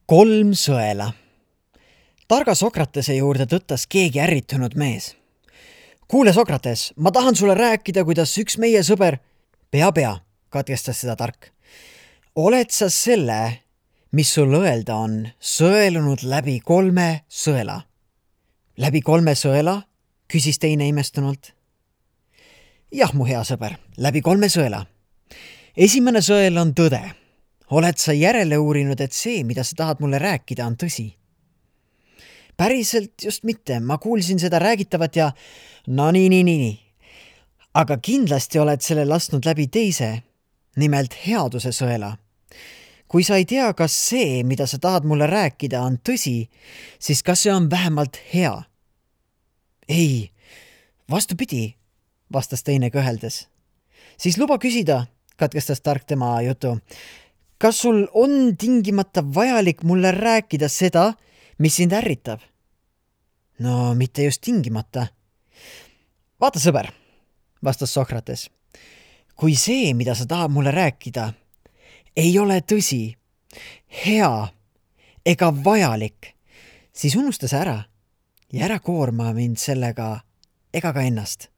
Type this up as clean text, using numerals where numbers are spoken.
3 sõela. Targa Sokratese juurde tõttas keegi ärritunud mees. Kuule, Sokrates, ma tahan sulle rääkida, kuidas üks meie sõber... Pea, katkestas seda tark. Oled sa selle, mis sul öelda on, sõelunud läbi 3 sõela? Läbi 3 sõela? Küsis teine imestunult. Jah, mu hea sõber, läbi 3 sõela. Esimene sõel on tõde. Oled sa järele uurinud, et see, mida sa tahad mulle rääkida, on tõsi? Päriselt just mitte, ma kuulsin seda räägitavat ja no nii. Aga kindlasti oled selle lasknud läbi teise, nimelt headuse sõela. Kui sa ei tea, kas see, mida sa tahad mulle rääkida, on tõsi, siis kas see on vähemalt hea? Ei, vastupidi, vastas teine kõheldes. Siis luba küsida, katkestas tark tema jutu. Kas sul on tingimata vajalik mulle rääkida seda, mis sind ärritab? No mitte just tingimata. Vaata, sõber, vastas Sokrates. Kui see, mida sa tahad mulle rääkida, ei ole tõsi, hea ega vajalik, siis unusta see ära ja ära koorma mind sellega ega ka ennast.